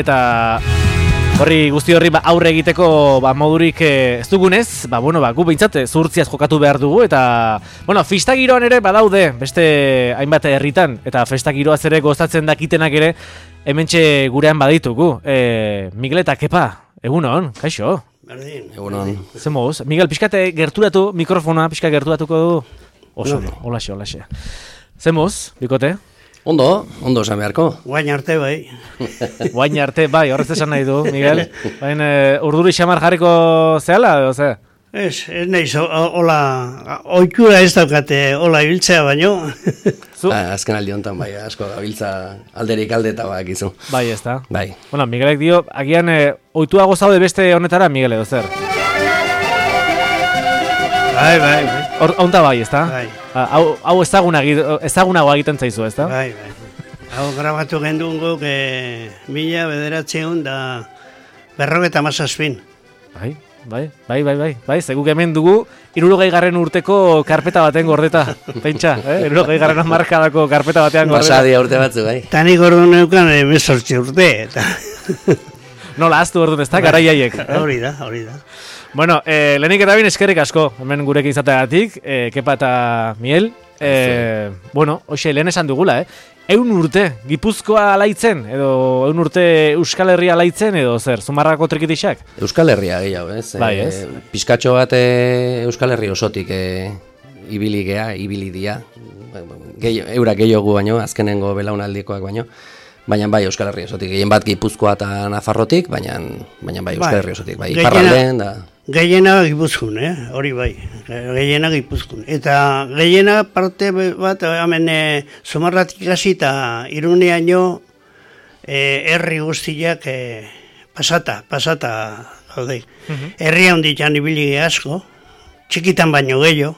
Eta guzti horri aurre egiteko modurik ez dugunez, gu behintzat zuhurtziaz jokatu behar dugu eta festa giroan ere badaude beste hainbat herritan eta festa giroaz ere gozatzen dakitenak ere hementxe gurean baditugu. Miguel eta Kepa, egunon, kaixo? Berdin. Egunon. Zer moduz? Miguel, pixkate gerturatu, mikrofona pixka gerturatuko du? Oso, olaxe. Zer moduz, bikote? Ondo esan beharko. Guain arte bai. Guain arte bai, horrez esan nahi du, Miguel. Baina urduri xamar jarriko zehala, edo ze? Ez nahiz, hola, oikura ez daukate, hola ibiltzea baino. Azken aldi honetan bai, asko gabiltza alderik aldeta bakizu. Bai, ez da. Bai. Bueno, Miguelek dio, agian oituago zaude beste honetara, Miguel, edo zer? Bai. Honta bai, ez da? Bai. Hau ezagunago egiten zaizu, ez da? Bai. Hau grabatu gendun guk 1900 da 57. Bai, zeguk hemen dugu 60. urteko karpeta baten gordeta, pentsa, 60. hamarkadako karpeta batean gordeta. Basadia urte batzu, bai. Tani gordo neukan 18 urte, eta... Nola, aztu orduan, ez da, garaiaiek. Hori da. Bueno, lehenik eta bin eskerrik asko, hemen gurekin izateagatik, Kepa eta Miel. Hoxe, lehen esan dugula, 100 urte Gipuzkoa alaitzen, edo 100 urte Euskal Herria alaitzen, edo zer, Zumarrako trikitixak? Euskal Herria gehiago, ez? Bai, ez? Piskatxo bat Euskal Herri osotik ibili dia. Eurak gehiago baino, azkenengo belaunaldikoak baino. Baina bai Euskal Herria osotik, gehien bat Gipuzkoa eta Nafarrotik, baina bai Euskal Herria osotik, bai iparraldean da... Gehiena Gipuzkoan, hori bai, gehiena Gipuzkoan. Eta gehiena parte bat, hemen Zumarratik hasi eta Iruneaino herri guztiak pasata, gaude. Herria honditan ibili asko, txikitan baino gehiago,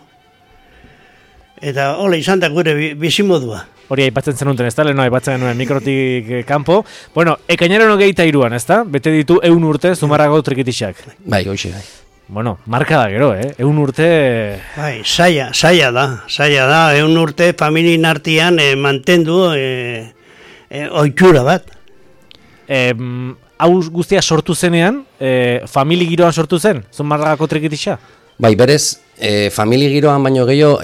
eta hola izan da gure bizimodua. Hori aipatzen zenuten, ez da? Leheno aipatzen genuen mikrotik kanpo. Bueno, ekainaren 23an, ez da? Bete ditu 100 urte Zumarrako trikitixak. Bai, hoxe, bai. Bueno, marka da gero, 100 urte... Bai, saia da. 100 urte familien artean mantendu ohitura bat. Hau guztia sortu zenean, famili giroan sortu zen, Zumarrako trikitixa? Bai, berez, famili giroan baino gehiago,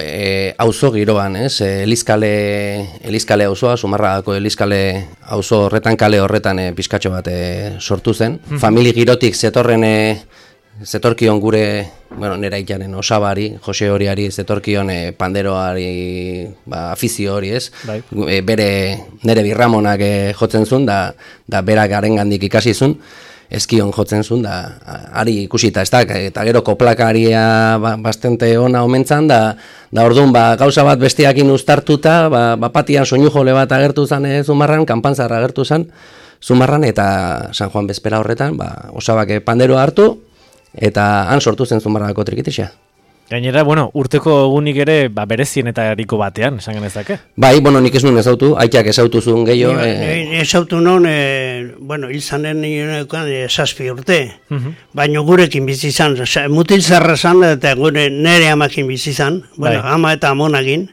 auzo giroan, ez? Elizkale auzoa, Zumarragako Elizkale auzo horretan, kale horretan pizkatxo bat sortu zen. Famili girotik zetorkion gure, nera ikaren osabari, Jose Horiari, zetorkion panderoari, afizio hori, ez? Bai. Nere birramonak jotzen zuen, da berak arengandik ikasi zuen. Eskion jotzen zuen, da ari ikusita, ez da, eta gero koplakaria bastante ona omentzan, da orduan gauza bat besteakin uztartuta, patian soinu jole bat agertu zen Zumarran, kanpantzarra agertu zen Zumarran, eta San Juan bezpera horretan, osabak panderoa hartu, eta han sortu zen Zumarrako trikitixa. Gainera, urteko egunik ere berezienetariko batean, esan genezake? Bai, nik ez nuen ezautu, aitak ezautu zuen gehiago. Ezautu non, hil zanen nionekoan 7 urte, baina gurekin bizi izan, mutil zarra zan, eta nire amakin bizi izan, ama eta amonakin,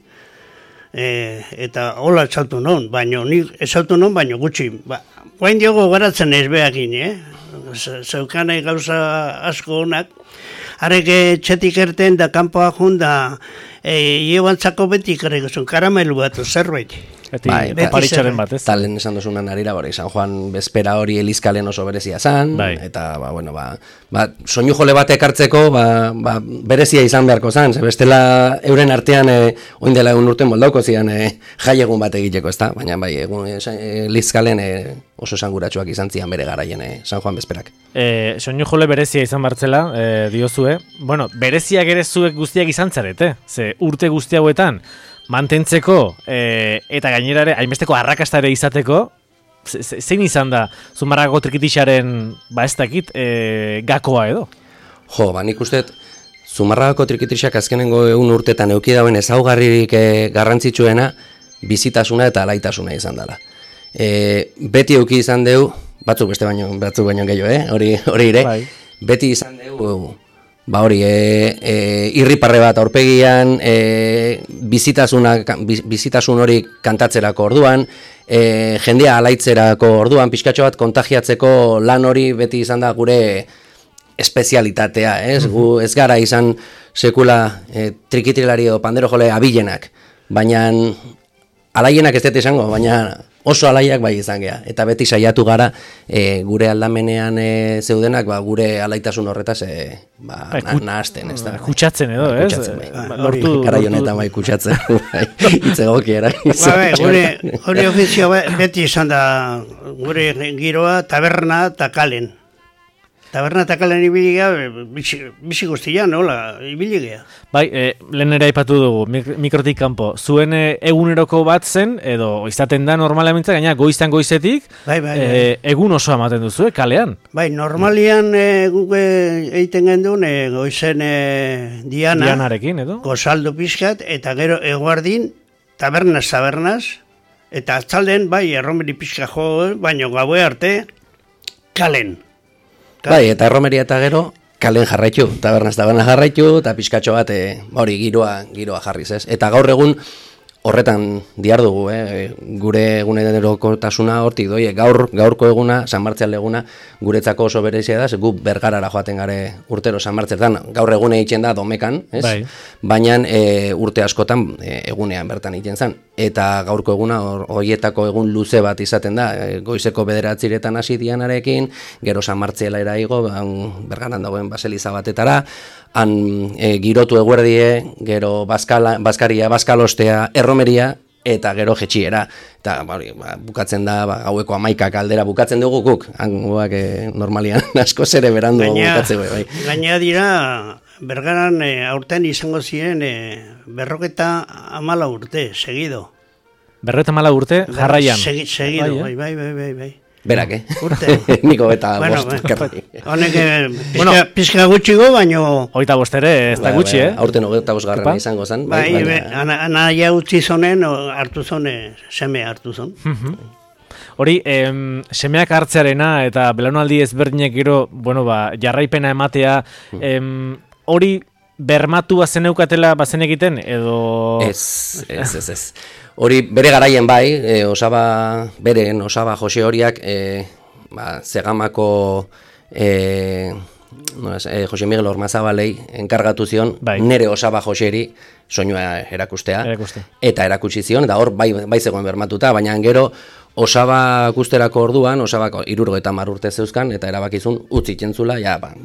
eta hola ezautu non, baina gutxi. Guain diogo garatzen ez behakin, zeukanai gauza asko honak, harek txetik erten da kanpoa jun da iebantzako beti ikarriko karamelu bat zerbait. Paritxaren bat, ez? Talen esan dozunan arira, San Juan bezpera hori Elizkalen oso berezia zan, eta soinu jole bat ekartzeko berezia izan beharko zan, bestela euren artean oindela 100 urte moldauko zian jaiegun bat egiteko, ez da? Baina Elizkalen oso esanguratsuak izan zian bere garaien San Juan bezperak. Soinu jole berezia izan bartzela, diozue, bereziak ere zuek guztiak izan zarete, ze urte guzti hauetan, mantentzeko eta gainera ere hainbesteko arrakasta ere izateko, zein izan da Zumarrako trikitixaren ez dakit gakoa edo? Nik uste Zumarrako trikitixak azkenengo 100 urtetan euki dauen ezaugarririk garrantzitsuena bizitasuna eta alaitasuna izan dela. Beti euki izan deu, batzuk baino gehiago, hori ire, beti izan deu ba hori, irriparre bat aurpegian, bizitasun hori kantatzerako orduan, jendea alaitzerako orduan, pixkatxo bat kontagiatzeko lan hori beti izan da gure espezialitatea, ez? Gu ez gara izan sekula trikitrilari edo pandero jole abilenak, baina alaienak ez dut izango, baina oso alaiak bai izan gea. Eta beti saiatu gara gure aldamenean zeudenak gure alaitasun horretaz nahazten. Kutsatzen edo, ez? Garai honetan bai kutsatzen. Itzegokiera. Hori ofizio beti izan da gure giroa taberna eta kalen. Taberna eta kalen ibiligea, bizi guztian, hola, ibiligea. Bai, lehen ere aipatu dugu, mikrotik kanpo, zuen eguneroko bat zen, edo izaten da normalmente, gaina goiztan goizetik, egun oso ematen duzu, kalean? Bai, normalian guk egiten gendun, goizen Dianarekin, edo? Gozaldu pixkat, eta gero eguardin, tabernaz, eta atzalden, bai, erromeri pixka jo, baino gaue arte, kalen. Bai, eta erromeria eta gero, kalen jarraitu, tabernaz jarraitu, eta pixkatxo bat, hori, giroa jarriz, ez? Eta gaur egun, horretan diardugu, gure egunerokotasuna hortik doi, gaurko eguna, San Martzial eguna, guretzako oso berezia da, gu Bergarara joaten gare urtero San Martzetan, gaur egune egiten da domekan, ez? Bai. Baina urte askotan egunean bertan egiten zen. Eta gaurko eguna horietako egun luze bat izaten da, goizeko 9:00 hasi Dianarekin, gero San Martzialera igo, Bergaran dagoen baseliza batetara, han girotu eguerdie, gero bazkaria, bazkalostea, erromeria, eta gero jetxiera. Eta bukatzen da, gaueko 11 aldera bukatzen dugu guk, hangoak normalian asko zere berandu bukatzen. Gaina dira, Bergaran aurten izango ziren 54 urte, segido. 54 urte, jarraian. Segido, bai. Berak, Urte. Niko eta bost. Honek pizka gutxigo, baino... 25 ere, ez da gutxi, Aurten 25 garrana izango zen. Bai, anaia utzi zonen, hartu zone, seme hartu zon. Hori, semeak hartzearena eta belaunaldi ezberdinek gero, jarraipena ematea, hori bermatua zeneukatela bazen egiten, edo... Ez. Hori bere garaien bai, Osaba Jose horiak, Zegamako Jose Miguel Ormazabalei enkargatu zion, nere Osaba Joseri soinua erakustea. Eta erakutsi zion, eta hor bai zegoen bermatuta, baina gero Osaba gusterako orduan, Osabako 70 urte zeuzkan, eta erabakizun utzi ikentzula,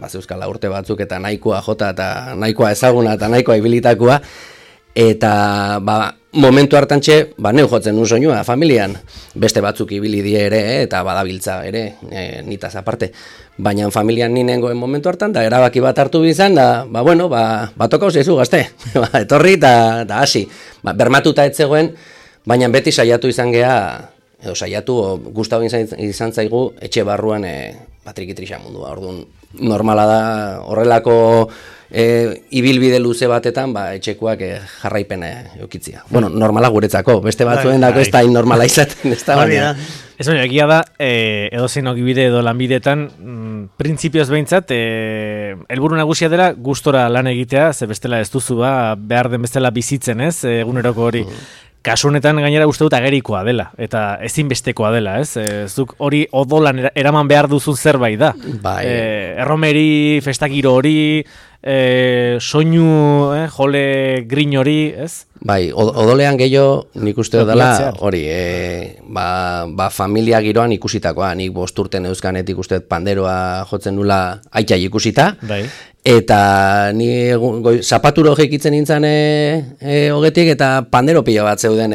zeuzkala urte batzuk, eta nahikoa jota, eta nahikoa ezaguna, eta nahikoa ibilitakoa, eta momentu hartantxe, neu jotzen nun soinua, familian, beste batzuk ibili die ere, eta badabiltza ere, nitaz aparte. Baina familian ninengoen momentu hartan, da erabaki bat hartu bizan, toka zaizu gazte, etorri eta hasi. Bermatuta ez zegoen, baina beti saiatu izan gea, edo saiatu, gustatu izan zaigu, etxe barruan trikitria mundua. Orduan, normala da, horrelako ibilbide luze batetan, etxekuak jarraipena eukitzia. Normala guretzako, beste batzuen dako ez da normala izaten, ez da baina. Ez baina, egia da, edozein ogibide edo lanbidetan, printzipioz behintzat, helburu nagusia dela gustora lan egitea, ze bestela ez duzu behar den bestela bizitzen, ez, eguneroko hori. Kasu honetan gainera uste dut agerikoa dela, eta ezinbestekoa dela, ez? Zuk hori odolan eraman behar duzun zerbait da. Erromeri, festakiro hori, soinu, jole grin hori, ez? Bai, odolean gehiago nik uste dela hori, familia giroan ikusitakoa, nik 5 urte neuzkanetik uste panderoa jotzen nula aitzai ikusita, eta ni zapaturo jekitzen nintzen hogetik, eta pandero pila bat zeuden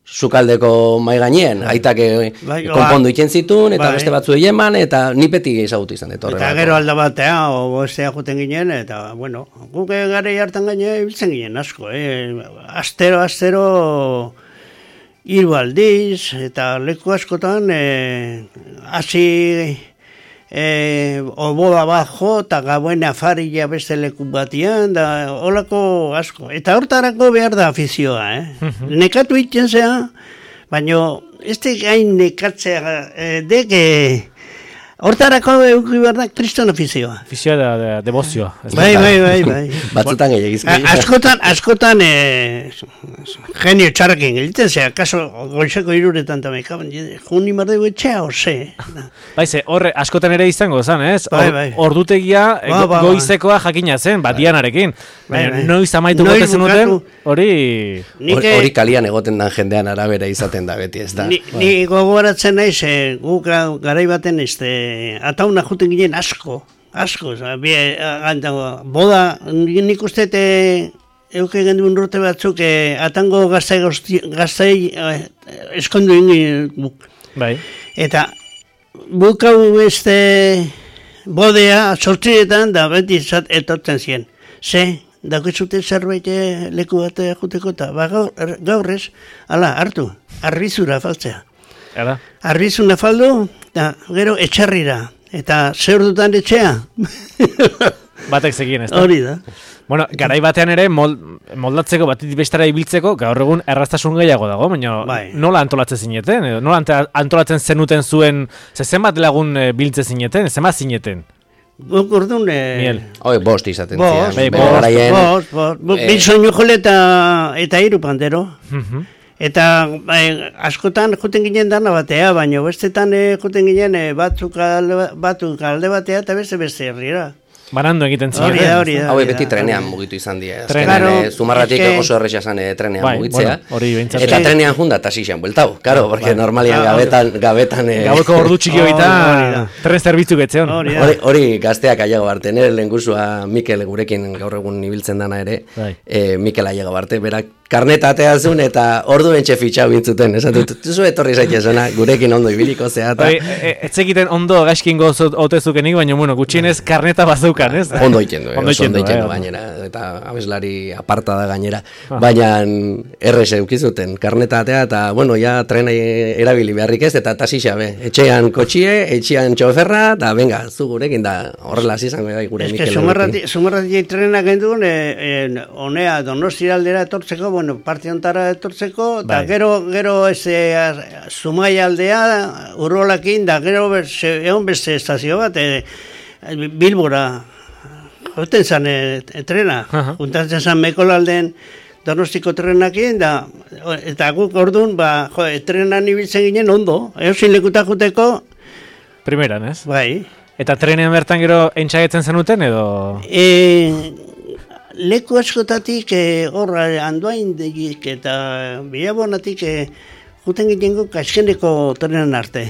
sukaldeko mai gainien, aitak konpondu itzen zituen, eta beste batzu eman, eta ni peti ezagutu izan dut. Eta gero alda batea, bestea joten ginen, eta, guk garei hartan gaine ibiltzen ginen asko, Astero, 3 aldiz, eta leku askotan, hasi oboda bat jo, eta gauen afaria beste leku batian, da holako asko. Eta hortarako behar da afizioa, Nekatu iten zea, baina ez gain nekatzea, deke Hortarako euki behar da kriston ofizioa. Ofizioa da devozioa. Bai. Batzutan gehiagizko. Askotan genio txarrakin geliten, kaso goizeko 3 tamekaban, juni mardegu etxea, ose. Baize, horre, askotan ere izango zen, ez? Bai. Ordutegia goizekoa jakina zen, Dianarekin. Baina noiz amaitu gote zenuten, hori... Hori kalian egoten dan jendean arabera izaten da beti, ez da. Ni gogoratzen naiz, guk garai baten atauna juten ginen asko, boda, nik uste euke genduen urte batzuk, atango gaztai eskondu ingin guk. Bai. Eta bukau bodea sortziretan da beti etortzen ziren. Daukizute zerbait leku bat juteko eta gaur ez, hartu, arbizura faltzea. Arbizuna faldu, eta gero etxarrira. Eta zer dutan etxea? Batek zekien, ez da? Hori da. Bueno, garai batean ere moldatzeko, batetik bestara ibiltzeko, gaur egun erraztasun gehiago dago, baina nola antolatzen zineten? Nola antolatzen zenuten zuen, zenbat lagun biltze zineten, zenbat zineten? Guk orduan... Bost izaten zian. Bost. Bilsoinu jole eta 3 pandero. Eta askotan juten ginen dana batea, baina bestetan juten ginen batzuk alde batea eta beste herrira. Banando egiten ziren. Hori da. Hau beti trenean mugitu izan dira. Azkenean Zumarratik oso erresa zan trenean mugitzea. Eta trenean junda eta zixan bueltau. Karo, porque normalian gabetan... Gaueko ordu txiki horita tren zerbitzu getzeon. Hori gazteak aiago barte. Nire lehengusua Mikel gurekin gaur egun ibiltzen dana ere. Mikel aiago barte. Berak karneta ateazun eta ordu bentxe fitxau bintzuten. Esatut, zu etorri zaitezona gurekin ondo ibiliko zea. Etzekiten ondo gaizkin gozotezukenik, baina gutxienez karneta bazeukan. Ondo ikendu gainera, eta abeslari aparta da gainera, baina errez eukizuten karnetatea, eta ja trena erabili beharrik ez, eta tasixabe, etxean kotxie, etxean txoferra, eta venga, zu gurekin da horrela izango da gure Mikel. Zumarratik trena gendun, honea Donostia aldera etortzeko, parte ontara etortzeko, eta gero Zumaia aldea, Urrolakin, da gero egon beste estazio bat, Bilbora, joten zan trena, juntatzen zan Mekolalden Donostiko trenakin, eta guk orduan, trenan ibiltzen ginen ondo, eusin lekuta juteko. Primeran, ez? Bai. Eta trenean bertan gero entxagetzen zenuten, edo? Leku askotatik, horra, Andoaindik eta Bilabonatik, juten ginen guk azkeneko trenan arte.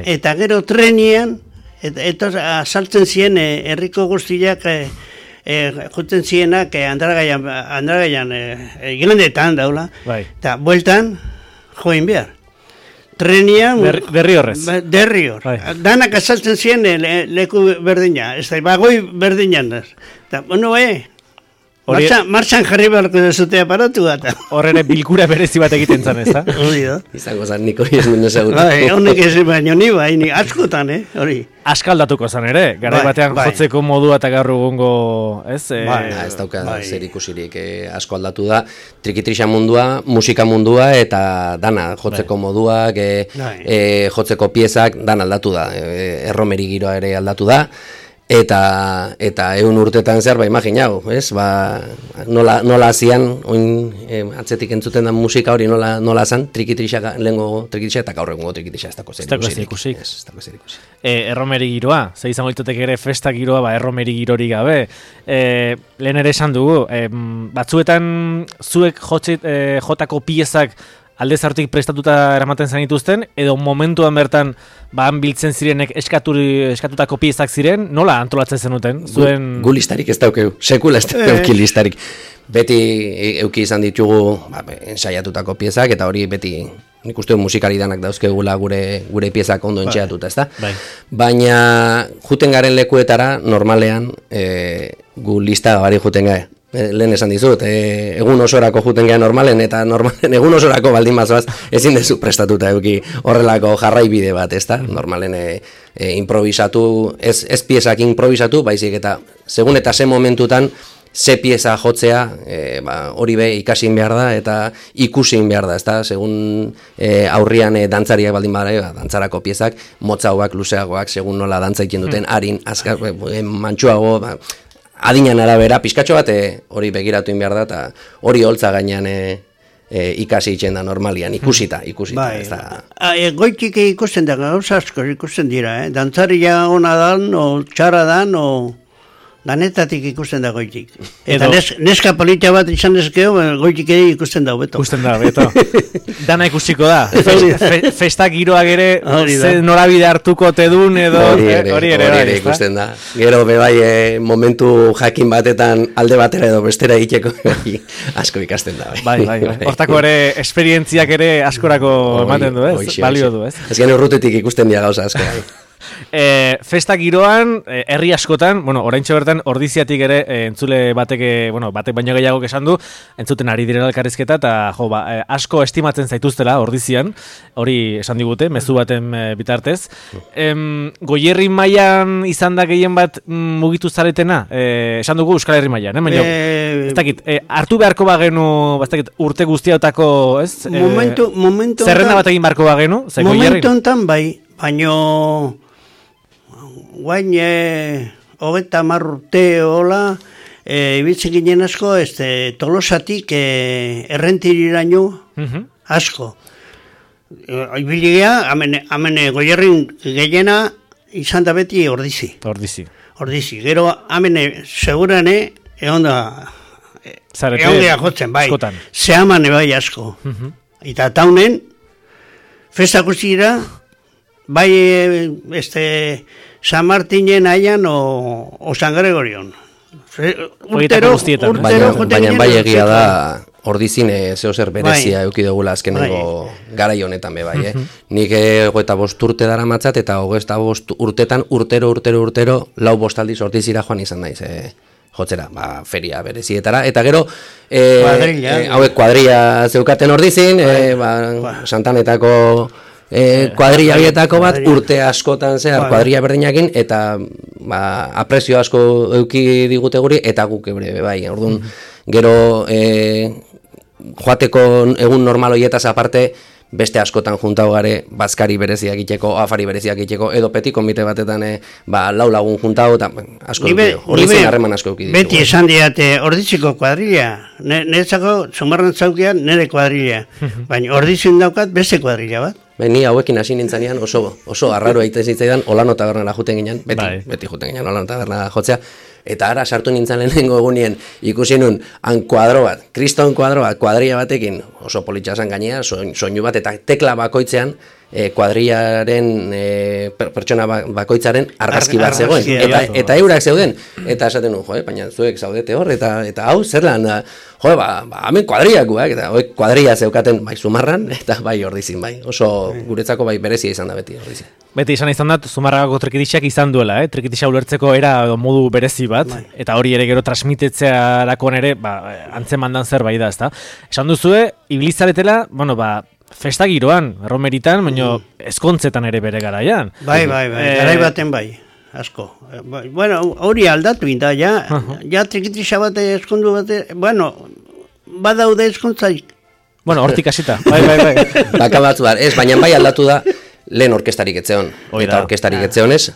Eta gero trenian, eta saltzen ziren herriko guztiak juten zienak Andragaian igandetan daula, eta bueltan join behar. Trenian... Derriorrez. Derrior. Danak asaltzen ziren leku berdina, ez da, bagoi berdinan. Eta, martxan jarri beharko dezute aparatu bat. Horre bilkura berezi bat egiten zan, ez da? Hori da. Izango zan niko izmen ezagutu. Honek ez baino ni askotan, hori. Askaldatuko zan ere, garai batean jotzeko modua eta gaur egungo, ez? Ez dauka zer ikusirik asko aldatu da. Trikitrixa mundua, musika mundua eta dana jotzeko moduak, jotzeko piezak, dan aldatu da. Erromeri giroa ere aldatu da. Eta 100 urtetan zer, imaginau, ez? Nola hasian, atzetik entzuten da musika hori nola zan, trikitrixa, lehengo trikitrixa eta gaur egungo trikitrixa ez dako zer ikusik. Erromeri giroa, ze izango ditutek ere festa giroa, erromeri girori gabe. Lehen ere esan dugu, batzuetan zuek jotako piezak alde zartik prestatuta eramaten zenituzten, edo momentuan bertan biltzen zirenek eskatutako piezak ziren, nola antolatzen zenuten? Gu listarik ez daukeu, sekula ez dauki listarik. Beti euki izan ditugu ensaiatutako piezak, eta hori beti nik uste musikari danak dauzkegula gure piezak ondo entxeatuta, ez da? Baina juten garen lekuetara, normalean, gu lista bari juten gare. Lehen esan dizut, egun osorako juten geha normalen, eta egun osorako baldin bazoaz ezin dezu prestatuta eduki horrelako jarraibide bat, ez da? Normalen improvisatu, ez piezak improvisatu, baizik eta segun eta ze momentutan ze pieza jotzea, hori be ikasin behar da eta ikusin behar da, ezta? Segun aurrian dantzariak baldin bada, dantzarako piezak, motzagoak, luzeagoak, segun nola dantza egiten duten, harin, azkar, mantxuago, adinan arabera, pizkatxo bat hori begiratu behar da, eta hori holtza gainean ikasi itxen da normalian, ikusita, bai, ez da... Goitik ikusten da, gauza asko ikusten dira, dantzarria ona dan, o txarra dan, o... Danetatik ikusten da goitik. Eta neska polita bat izan ezkeo, goitik ere ikusten da hobeto. Ikusten da hobeto. Dana ikusiko da. Festak giroak ere norabide hartuko tedun edo... Hori ere ikusten da. Gero bebai momentu jakin batetan alde batera edo bestera egiteko asko ikasten da. Bai. Hortako ere esperientziak ere askorako ematen du, ez? Balio du, ez? Ez gero urrutetik ikusten dira gauza asko. Festa giroan, herri askotan, oraintxe bertan ordiziatik ere entzule batek baino gehiago esan du, entzuten ari direla elkarrizketa eta asko estimatzen zaituztela ordizian, hori esan digute, mezu baten bitartez. Goierri mailan izan da gehien bat mugitu zaretena, esan dugu Euskal Herri mailan, baina ez dakit, hartu beharko bagenu, ez dakit, urte guztiotako, ez? Zerrenda bat egin beharko bagenu, momentu enten bai, baino guain 30 urte hola ibiltzen ginen asko Tolosatik Errentiriraino asko. Ibiligia, hemen Goierrin gehiena izan da beti Ordizi. Gero hemen segurane egon gea jotzen, bai. Zehaman bai asko. Eta taunen, festa guztira, bai San Martinen aian o San Gregorion. Urtero baina bai egia da Ordizin zeozer berezia eduki dugula azkenengo garai honetan be bai, Nik 25 urte daramatzat eta 25 urtetan urtero 4 aldiz Ordizira joan izan naiz, jotzera, feria berezietara, eta gero hauek kuadrilla zeukaten Ordizin, Santanetako kuadrilla bietako bat urte askotan zehar kuadrilla berdinakin eta aprezio asko eduki digute guri eta guk ebre bai. Orduan gero joateko egun normal hoietaz aparte beste askotan juntau gare bazkari bereziak egiteko, afari bereziak egiteko edo peti konbite batetan lau lagun juntau eta asko Ordizin harreman asko eduki ditugu. Beti esan diate Ordiziko kuadrilla, niretzako Zumarran zaukian nire kuadrilla, baina Ordizin daukat beste kuadrilla bat. Ni hauekin hasi nintzanean oso arraro egiten zitzaidan Olano tabernara juten ginen, beti juten ginen Olano tabernara jotzea, eta ara sartu nintzen lehenengo egunien ikusi nun kuadro bat, kriston kuadro bat, kuadrilla batekin, oso politxasan gainea, soinu bat, eta tekla bakoitzean kuadrillaren pertsona bakoitzaren argazki bat zegoen, eta eurak zeuden, eta esaten nun, baina zuek zaudete hor, eta hau, zer lan, hemen kuadrillakoak, eta kuadrilla zeukaten bai Zumarran, eta bai Ordizin, bai, oso guretzako bai berezia izan da beti Ordizin. Beti izan da, Zumarragako trikitixak izan duela, trikitixa ulertzeko era modu berezi bat, eta hori ere gero transmitetzearakoan ere, antzemandan zerbait da, ezta? Esan duzue, ibilizaretela, festa giroan, erromeritan, baina ezkontzetan ere bere garaian. Bai, garai baten bai, asko. Bueno, hori aldatu inda, ja trikitixa bat ezkondu bat, badaude ezkontzaik. Hortik hasita, bai. Bakabatzu da, baina bai aldatu da, lehen orkestarik etzeon. Eta orkestarik etzeonez,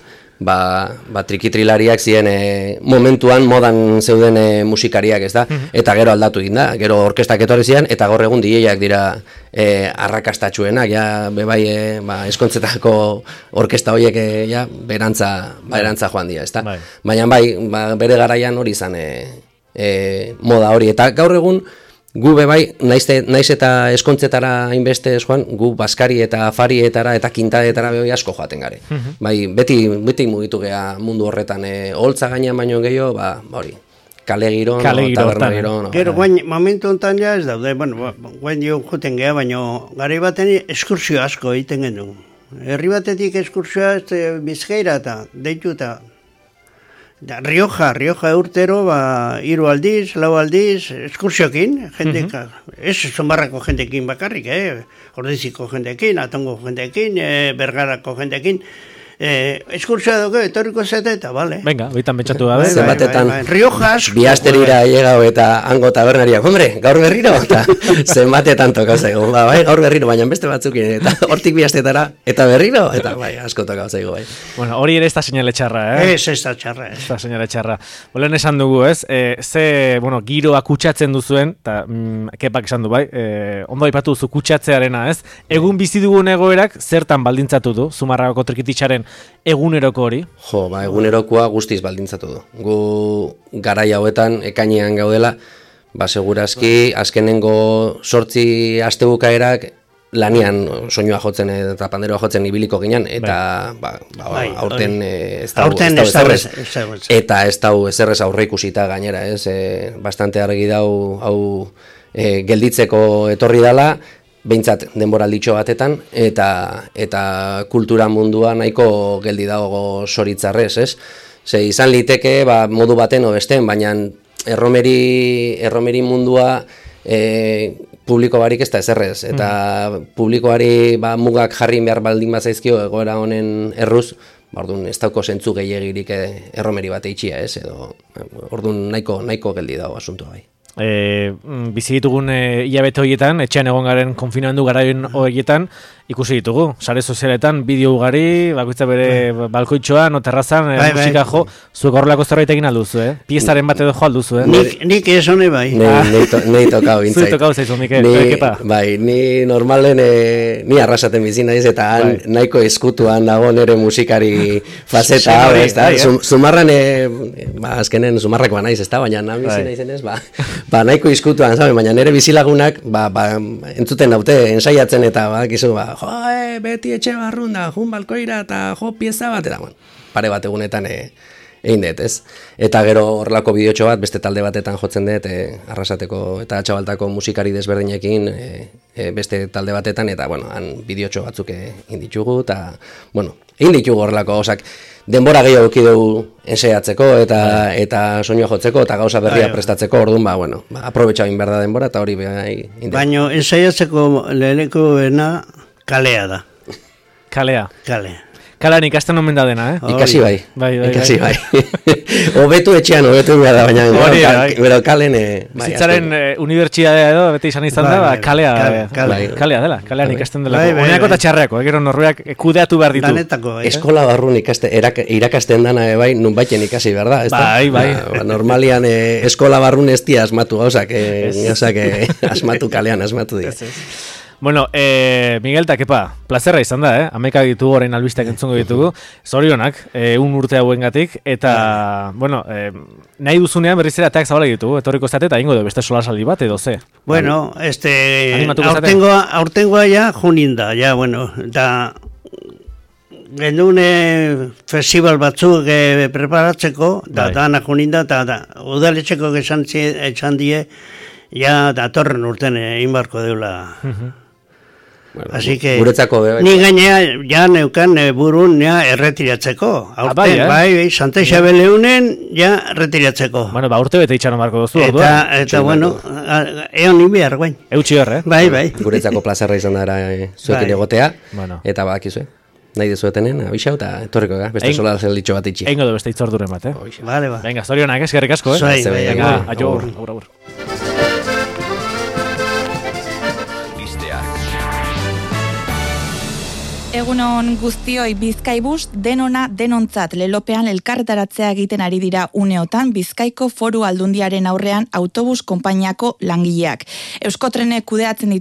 trikitrilariak ziren momentuan modan zeuden musikariak, ez da? Eta gero aldatu egin da, gero orkestak etorri ziren, eta gaur egun DJak dira arrakastatxuenak, bebai eskontzetako orkesta horiek berantza joan dira, ez da? Baina bere garaian hori izan moda hori, eta gaur egun gu bebai, naiz eta eskontzetara inbeste joan, gu baskari eta afarietara eta kintadetara bebai asko joaten gare. Beti mugitu gea mundu horretan, holtza gainean baino gehiago, hori, kale giron, taberna giron. Gero, momentu honetan ez daude, guain joten gea, baino gare baten eskursioa asko egiten gendu. Herri batetik eskursioa Bizkaira eta deitu eta Rioja urtero, 3 aldiz, 4 aldiz, eskursiokin, jendeka, ez Zumarrako jendekin bakarrik, Ordiziko jendekin, Atongo jendekin, Bergarako jendekin, eskurtzoa dugu, etorriko zete eta, bale. Venga, bitan betxatu gabe. Zenbatetan Riojas. Biasterira llegau eta hango tabernariak, hombre, gaur berriro, eta zenbatetan tokau zaigu, bai, gaur berriro, baina beste batzukin, eta hortik biastetara, eta berriro, eta bai, asko tokau zaigu, bai. Bueno, hori ere ez da señale txarra, Ez da txarra, Ez da señale txarra. Bolen esan dugu, ez? Bueno, giroa kutsatzen duzuen, eta kepak esan du, bai, ondo aipatu duzu kutsatzearena, ez? Egun bizi dugun egoerak zertan baldintzatu du, Zumarragako trikititzaren eguneroko hori? Jo, ba, egunerokoa guztiz baldintzatu du. Gu garai hauetan, ekainean gaudela, ba, segurazki, azkenengo 8 astebukaerak lanian soinua jotzen eta panderoa jotzen ibiliko ginen, eta aurten ez dau eta ez dau ezerrez aurre ikusita gainera, ez? Bastante argi dau hau gelditzeko etorri dala, behintzat denboralditxo batetan, eta kultura mundua nahiko geldi dago soritzarrez, ez? Ze izan liteke, modu baten o besten, baina erromeri mundua publiko barik ez da ezerrez, eta publikoari mugak jarri behar baldin bat zaizkio egoera honen erruz, orduan ez dauko zentzu gehiagirik erromeri bat eitxia, ez? Edo, orduan nahiko geldi dago asuntua bai. Bizi ditugun hilabete horietan, etxean egon garen konfinamendu garaien horietan, ikusi ditugu, sare sozialetan, bideo ugari, bakoitza bere balkoitxoan, terrazan, musika jo, zuek horrelako zerbait egin alduzu, piezaren bat edo jo alduzu, Nik ez hone bai. Nei tokau bintzait. Zui tokau zaizu, Mikel, kepa. Bai, ni normalen, ni arrasaten bizi naiz, eta nahiko eskutuan dago nere musikari faceta, Zumarran, azkenen Zumarrakoa naiz, ez da, baina nabizi naizenez, nahiko eskutuan, baina nere bizilagunak, entzuten daute, ensaiatzen eta, kizu, beti etxe barrunda, jun balkoira eta jo pieza bat, eta pare bat egunetan egin dut, ez? Eta gero horrelako bideotxo bat, beste talde batetan jotzen dut, Arrasateko eta Txabaltako musikari desberdinekin, beste talde batetan, eta, han bideotxo batzuk egin ditugu, eta, egin ditugu horrelako gauzak. Denbora gehiago eduki dugu ensaiatzeko eta soinua jotzeko eta gauza berria prestatzeko, orduan, aprobetxa egin behar da denbora, eta hori baina ensaiatzeko lehenekona kalea da. Kalea? Kalea. Kalean ikasten omen da dena, Ikasi bai. Ikasi bai. Obetu etxean, obetu behar da, baina bero kalen... Bizitzaren unibertsitatea edo, beti izan da, kalea dela, kalean ikasten dela. Oinako eta txarreako, gero norruak kudeatu behar ditu. Eskola barrun irakasten dana, nun baiten ikasi behar da. Bai. Normalian eskola barrun ez dia asmatu gauzak, asmatu kalean, asmatu dira. Bueno, Miguel eta Kepa, plazerra izan da, Ameka ditugu orain albisteak entzungo ditugu, zorionak, urte hauengatik, eta, nahi duzunean berriz ere ateak zabala ditugu, etorriko zate, eta ingo du beste solasaldi bat, edo ze? Bueno, aurtengoa ja juninda, eta gendune festival batzuk preparatzeko, eta dana juninda, eta udaletxeko esan die, ja datorren urten inbarko deula. Así que ni gainea ja neukan burun ja erretiratzeko. Aurten bai, Santa Isabel eunen ja erretiratzeko. Urte bete itxaron marko duzu orduan. Eta eon inbiar guain. Eutxi hor, Bai. Guretzako plazerra izan dara zuekin egotea, eta bakizue. Nahi dezuetenen, abixau eta etorriko ga, beste sola zelditxo bat itxi. Eingo du beste itzorduren bat, Vale. Venga, zorionak, eskerrik asko, Venga, agur. Egunon guztioi, Bizkaibus denona denontzat lelopean elkarretaratzea egiten ari dira uneotan Bizkaiko Foru Aldundiaren aurrean autobus konpainiako langileak. Euskotrenek kudeatzen ditu